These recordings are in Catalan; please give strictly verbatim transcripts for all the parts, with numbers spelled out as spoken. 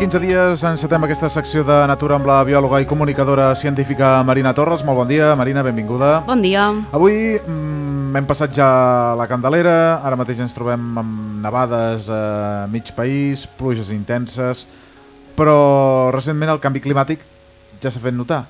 quinze dies encetem aquesta secció de Natura amb la biòloga i comunicadora científica Marina Torres. Molt bon dia, Marina, benvinguda. Bon dia. Avui mm, hem passat ja la Candelera, ara mateix ens trobem amb nevades a mig país, pluges intenses, però recentment el canvi climàtic ja s'ha fet notar,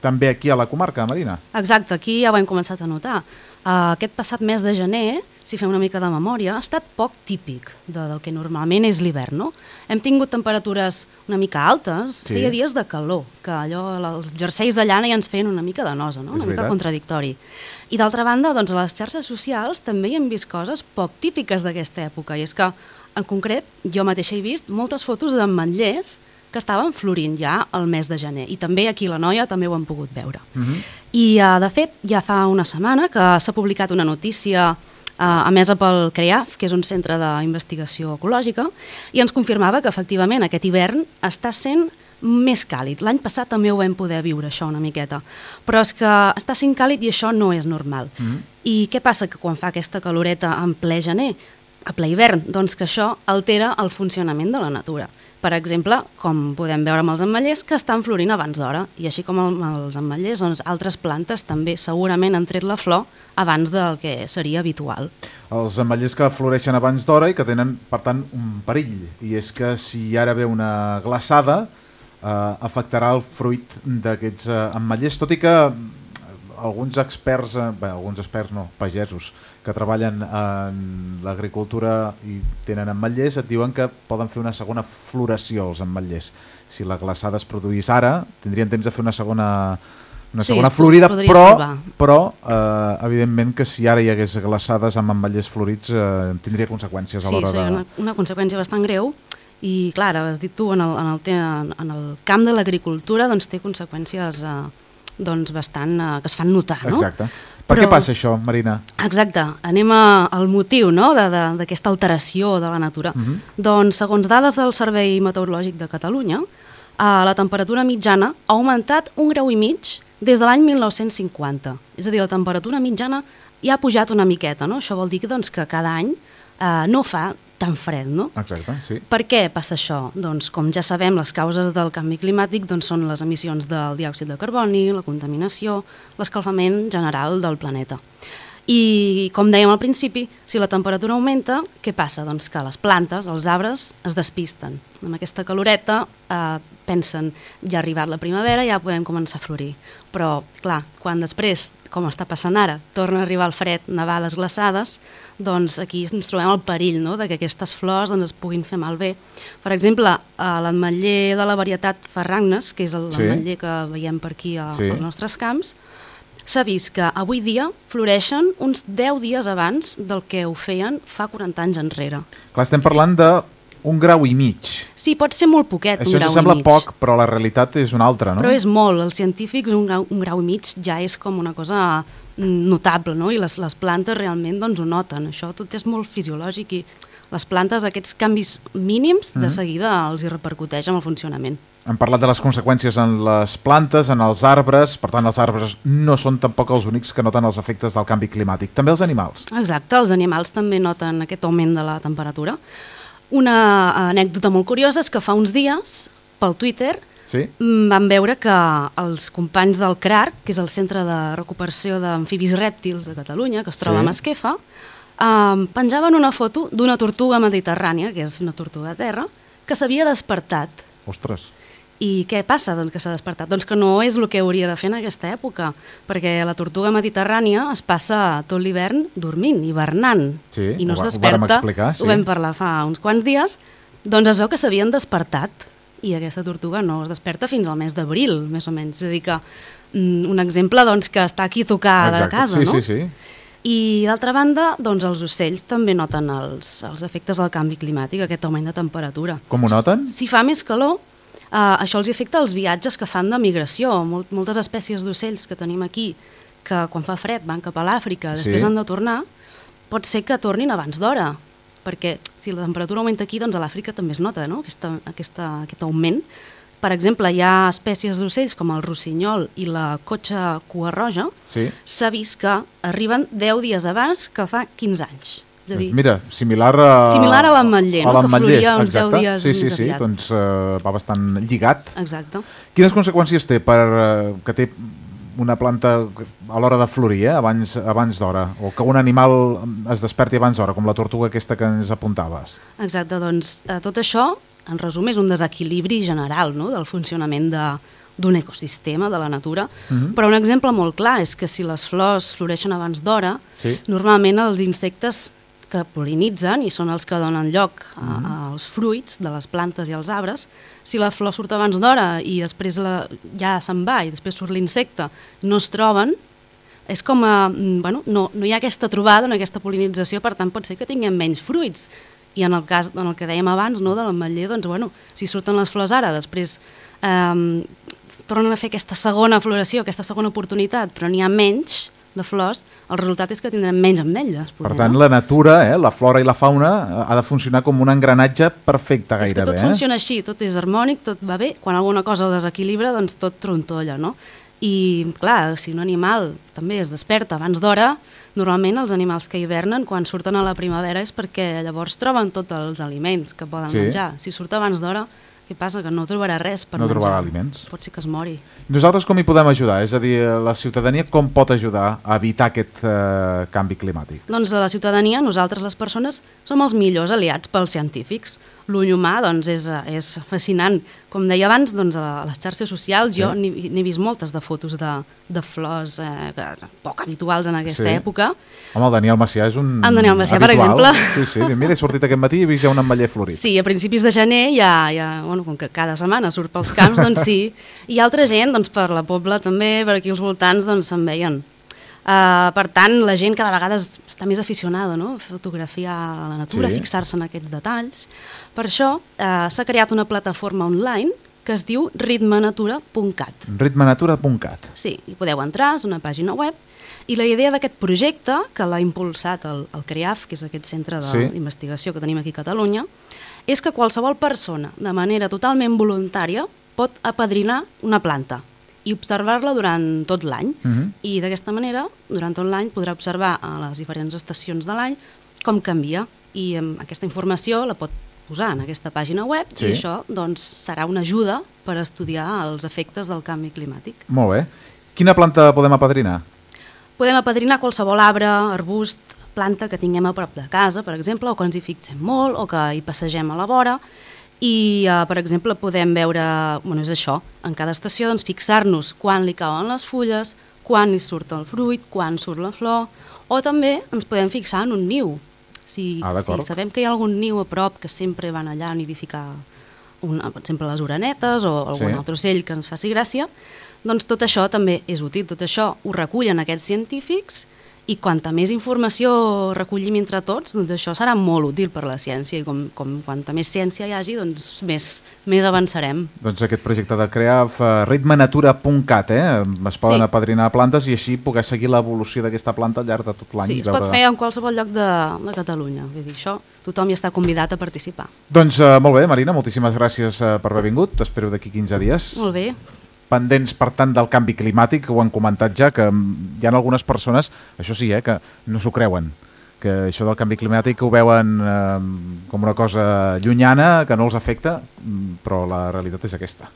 també aquí a la comarca, Marina. Exacte, aquí ja ho hem començat a notar. Uh, aquest passat mes de gener, si fem una mica de memòria, ha estat poc típic de, del que normalment és l'hivern, no? Hem tingut temperatures una mica altes, sí. Feia dies de calor, que allò, els jerseis de llana ja ens feien una mica de nosa, no? Una mica contradictori. I d'altra banda, doncs, a les xarxes socials també hi hem vist coses poc típiques d'aquesta època, i és que, en concret, jo mateixa he vist moltes fotos d'ametllers que estaven florint ja al mes de gener. I també aquí a la Noia també ho hem pogut veure. Uh-huh. I, uh, de fet, ja fa una setmana que s'ha publicat una notícia uh, emesa pel CREAF, que és un centre d'investigació ecològica, i ens confirmava que, efectivament, aquest hivern està sent més càlid. L'any passat també ho vam poder viure, això, una miqueta. Però és que està sent càlid i això no és normal. Uh-huh. I què passa? Que quan fa aquesta caloreta en ple gener, a ple hivern, doncs que això altera el funcionament de la natura. Per exemple, com podem veure amb els ametllers, que estan florint abans d'hora, i així com amb els ametllers, doncs altres plantes també segurament han tret la flor abans del que seria habitual. Els ametllers que floreixen abans d'hora i que tenen, per tant, un perill, i és que si ara ve una glaçada, eh, afectarà el fruit d'aquests eh, ametllers, tot i que alguns experts, eh, bé, alguns experts no, pagesos, que treballen en l'agricultura i tenen ametllers, et diuen que poden fer una segona floració els ametllers. Si la glaçada es produís ara, tindrien temps de fer una segona, una sí, segona florida, però, però eh, evidentment que si ara hi hagués glaçades amb ametllers florits eh, tindria conseqüències sí, a l'hora sí, de... Sí, una, una conseqüència bastant greu, i clar, has dit tu, en el, en el, en el camp de l'agricultura doncs, té conseqüències eh, doncs, bastant, eh, que es fan notar, no? Exacte. Per Però, què passa això, Marina? Exacte. Anem a, al motiu, no?, d'aquesta alteració de la natura. Uh-huh. Doncs, segons dades del Servei Meteorològic de Catalunya, eh, la temperatura mitjana ha augmentat un grau i mig des de l'any mil nou-cents cinquanta. És a dir, la temperatura mitjana ja ha pujat una miqueta, no? Això vol dir que, doncs, que cada any eh, no fa tan fred, no? Exacte, sí. Per què passa això? Doncs, com ja sabem, les causes del canvi climàtic doncs, són les emissions del diòxid de carboni, la contaminació, l'escalfament general del planeta. I, com dèiem al principi, si la temperatura augmenta, què passa? Doncs que les plantes, els arbres, es despisten. Amb aquesta caloreta eh, pensen, ja ha arribat la primavera, ja podem començar a florir. Però, clar, quan després, com està passant ara, torna a arribar el fred, nevades, glaçades, doncs aquí ens trobem el perill, no?, de que aquestes flors doncs, es puguin fer malbé. Per exemple, l'ametller de la varietat Ferragnes, que és l'ametller sí. que veiem per aquí a, sí. als nostres camps, s'ha vist que avui dia floreixen uns deu dies abans del que ho feien fa quaranta anys enrere. Clar, estem parlant d'un grau i mig. Sí, pot ser molt poquet, Això un grau i mig. Això ens sembla poc, però la realitat és una altra, no? Però és molt. Els científics, un grau, un grau i mig ja és com una cosa notable, no? I les, les plantes realment doncs, ho noten. Això tot és molt fisiològic i les plantes, aquests canvis mínims, de seguida els hi repercuteix en el funcionament. Hem parlat de les conseqüències en les plantes, en els arbres, per tant els arbres no són tampoc els únics que noten els efectes del canvi climàtic, també els animals. Exacte, els animals també noten aquest augment de la temperatura. Una anècdota molt curiosa és que fa uns dies, pel Twitter, sí? vam veure que els companys del CRARC, que és el Centre de Recuperació d'Amfibis Rèptils de Catalunya, que es troba sí. a Masquefa, eh, penjaven una foto d'una tortuga mediterrània, que és una tortuga de terra, que s'havia despertat. Ostres! I què passa doncs, que s'ha despertat? Doncs que no és el que hauria de fer en aquesta època, perquè la tortuga mediterrània es passa tot l'hivern dormint, hivernant, sí, i no ho, es desperta. Ho vam explicar, sí. Ho vam parlar fa uns quants dies, doncs es veu que s'havien despertat, i aquesta tortuga no es desperta fins al mes d'abril, més o menys. És a dir que mm, un exemple doncs, que està aquí a tocar de casa, sí, no? Sí, sí. I d'altra banda, doncs els ocells també noten els, els efectes del canvi climàtic, aquest augment de temperatura. Com ho noten? Si fa més calor, Uh, això els afecta els viatges que fan de migració. Mol moltes espècies d'ocells que tenim aquí, que quan fa fred van cap a l'Àfrica, després sí. han de tornar, pot ser que tornin abans d'hora, perquè si la temperatura augmenta aquí, doncs a l'Àfrica també es nota, no?, aquesta, aquesta, aquest augment. Per exemple, hi ha espècies d'ocells com el rossinyol i la cotxa cua roja, s'ha sí. vist que arriben deu dies abans que fa quinze anys. És a dir, Mira, similar a... Similar a l'ametller, no? Que floria uns deu exacte. dies sí, sí, més sí, aviat. doncs uh, va bastant lligat. Exacte. Quines conseqüències té per uh, que té una planta a l'hora de florir, eh? abans, abans d'hora, o que un animal es desperti abans d'hora, com la tortuga aquesta que ens apuntaves? Exacte, doncs eh, tot això, en resum, és un desequilibri general, no?, del funcionament de, d'un ecosistema, de la natura. Uh-huh. Però un exemple molt clar és que si les flors floreixen abans d'hora, sí. normalment els insectes que pol·linitzen, i són els que donen lloc a, uh-huh. als fruits de les plantes i als arbres, si la flor surt abans d'hora i després la, ja se'n va i després surt l'insecte, no es troben, és com a, bueno, no, no hi ha aquesta trobada, no hi ha aquesta pol·linització, per tant pot ser que tinguem menys fruits. I en el cas, en el que dèiem abans, no, de l'ametller, doncs, bueno, si surten les flors ara, després eh, tornen a fer aquesta segona floració, aquesta segona oportunitat, però n'hi ha menys de flors, el resultat és que tindrem menys ametlles. Poder, per tant, no? la natura, eh, la flora i la fauna, ha de funcionar com un engranatge perfecte gairebé. És que tot eh? funciona així, tot és harmònic, tot va bé. Quan alguna cosa ho desequilibra, doncs tot trontolla, no? I, clar, si un animal també es desperta abans d'hora, normalment els animals que hivernen, quan surten a la primavera, és perquè llavors troben tots els aliments que poden sí. menjar. Si surt abans d'hora, què passa? Que no trobarà res per no menjar. No trobarà aliments. Pot ser que es mori. Nosaltres com hi podem ajudar? És a dir, la ciutadania com pot ajudar a evitar aquest eh, canvi climàtic? Doncs la ciutadania, nosaltres les persones, som els millors aliats pels científics. L'ull humà doncs, és, és fascinant. Com deia abans, doncs, a les xarxes socials sí. jo n'he vist moltes de fotos de, de flors eh, poc habituals en aquesta sí. època. Home, el Daniel Macià és un El Daniel Macià, habitual. per exemple. Sí, sí. Mira, he sortit aquest matí i he vist ja un ametller florit. Sí, a principis de gener, ja, ja, bueno, com que cada setmana surt pels camps, doncs sí. I altra gent, doncs, per la Pobla també, per aquí als voltants, doncs se'n veien. Uh, per tant, la gent cada vegada està més aficionada, no?, a fotografiar la natura, sí. a fixar-se en aquests detalls. Per això uh, s'ha creat una plataforma online que es diu ritmenatura punt cat. ritmenatura punt cat. Sí, hi podeu entrar, és una pàgina web, i la idea d'aquest projecte, que l'ha impulsat el, el CREAF, que és aquest centre d'investigació sí. que tenim aquí a Catalunya, és que qualsevol persona, de manera totalment voluntària, pot apadrinar una planta i observar-la durant tot l'any. Uh-huh. I d'aquesta manera, durant tot l'any, podrà observar a les diferents estacions de l'any com canvia. I um, aquesta informació la pot posar en aquesta pàgina web sí. i això doncs, serà una ajuda per estudiar els efectes del canvi climàtic. Molt bé. Quina planta podem apadrinar? Podem apadrinar qualsevol arbre, arbust, planta que tinguem a prop de casa, per exemple, o que ens hi fixem molt, o que hi passegem a la vora. I, uh, per exemple, podem veure, bueno, és això, en cada estació doncs, fixar-nos quan li cauen les fulles, quan hi surt el fruit, quan surt la flor, o també ens podem fixar en un niu. Si, ah, si sabem que hi ha algun niu a prop que sempre van allà a nidificar, una, per exemple, les orenetes o algun sí. altre ocell que ens faci gràcia, doncs tot això també és útil, tot això ho recullen aquests científics i quanta més informació recollim entre tots, doncs això serà molt útil per la ciència i com, com quanta més ciència hi hagi, doncs més, més avançarem. Doncs aquest projecte de CREAF, uh, ritmenatura punt cat, eh? es poden sí. apadrinar plantes i així poder seguir l'evolució d'aquesta planta al llarg de tot l'any. Sí, es pot fer en qualsevol lloc de, de Catalunya, vull dir, això tothom hi està convidat a participar. Doncs uh, molt bé, Marina, moltíssimes gràcies uh, per haver vingut, t'espero d'aquí quinze dies. Molt bé. Pendents, per tant, del canvi climàtic, que ho han comentat ja, que hi ha algunes persones, això sí, eh, que no s'ho creuen, que això del canvi climàtic ho veuen eh, com una cosa llunyana, que no els afecta, però la realitat és aquesta.